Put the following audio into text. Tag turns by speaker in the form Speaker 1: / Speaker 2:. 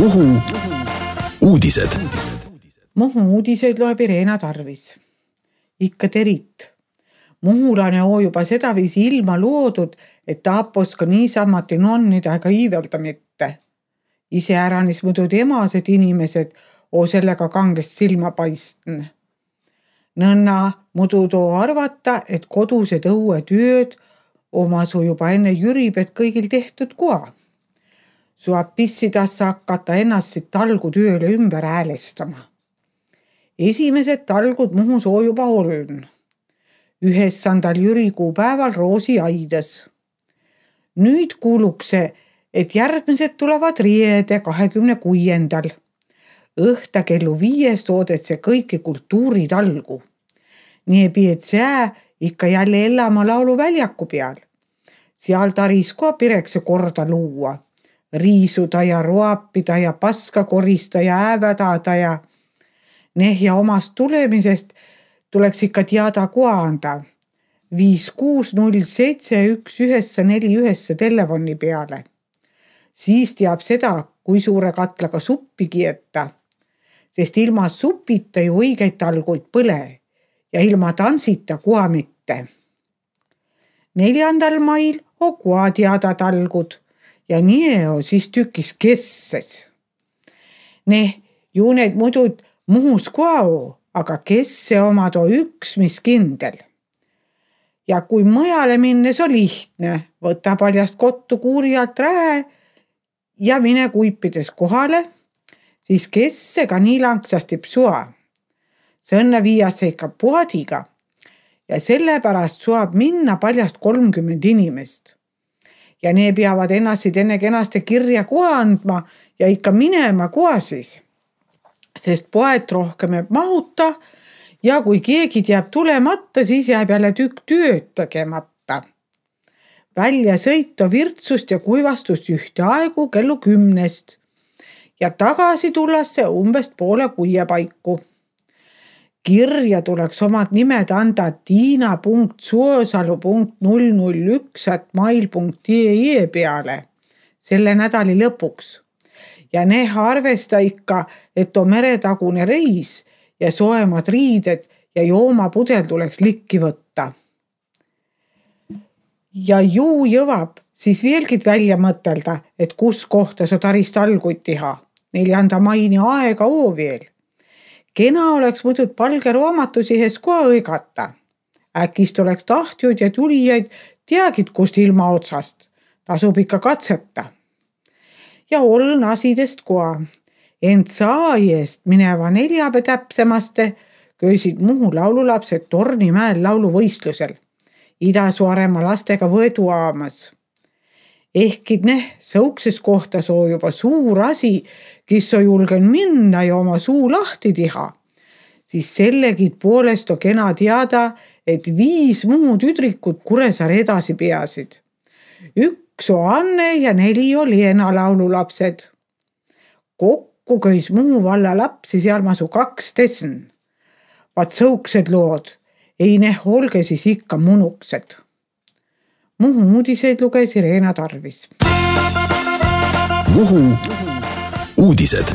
Speaker 1: Muhu uudised.
Speaker 2: Muhu uudiseid loeb Irena Tarvis. Ikka terit. Muhulane oo juba sedaviisi ilma loodud, et taapos ka niisamati nonnida ega iivelda mitte. Iseäranis muidu emased inimesed oo sellega kangest silma paistn. Nõnna muidu too arvata, et kodused õue tööd omasu juba enne jüribet kõigil tehtud koa. Suab pissidassa hakata ennast siit talgu tööle ümber häälestama. Esimesed talgud Muhus oo juba oln. 9. jürikuu päeval Roosi aidas. Nüüd kuulukse, et järgmised tulevad riede 26. Õhta kellu 5 oodetse kõiki kultuuritalgu. Nii piet sää ikka jälle Ellama lauluväljaku peal. Seal taris koa pirekse korda luua. Riisuda ja roapida ja paska korista ja äävedada ja nehja omast tulemisest tuleks ikka teada koa anda. 5607191 telefoni peale. Siis teab seda, kui suure katlaga suppi kieta. Sest ilma supita ju õigeid talguid põle ja ilma tantsita koa mitte. 4. mail on koa teada talgud. Ja nii on siis tükis kesses. Ju need muidu Muhus koa, aga kesse omad on üks, mis kindel. Ja kui mõjale minnes on lihtne, võta paljast kottu kuuri alt rähe ja mine kuipides kohale, siis kessega nii langsasti psua. Sõnne viiasse ikka puhadiga ja sellepärast suab minna paljast 30 inimest. Ja need peavad ennast enne kenaste kirja koha andma ja ikka minema koha siis. Sest poet rohkem jääb mahuta ja kui keegi jääb tulemata, siis jääb jälle tükk tööd tegemata. Välja sõita virtsust ja kuivastust ühte aegu kellu 10 ja tagasi tullasse umbes poole 6 paiku. Kirja tuleks omad nimed anda tiina.suosalu.001@mail.ee peale selle nädali lõpuks. Ja ne arvesta ikka, et on meretagune reis ja soemad riided ja joomapudel tuleks likki võtta. Ja juu jõvab siis veelgid välja mõtelda, et kus kohta sa tarist alguid teha. 4. maini aega oo veel. Kena oleks muidu palge raamatusihes koha õigata. Äkist oleks tahtjud ja tulijaid teagid kust ilma otsast. Tasub ikka katseta. Ja oln asidest koha. Ent saaiest mineva 4. täpsemaste köisid Muhu laululapsed Tornimäel lauluvõistlusel. Ida-Suaremaa lastega võedu aamas. Ehkid sõukses kohta soo juba suur asi, kes on julgen minna ja oma suu lahti teha, siis sellegid poolest on kena teada, et 5 Muhu tüdrikut Kuressaare edasi peasid. 1 on Anne ja 4 on Leena laululapsed. Kokku köis Muhu valla lapsi seal masu 12. Vaat sõuksed lood, ei olge siis ikka munuksed. Muhu uudiseid luges Irena Tarvis.
Speaker 1: Muhu uudised.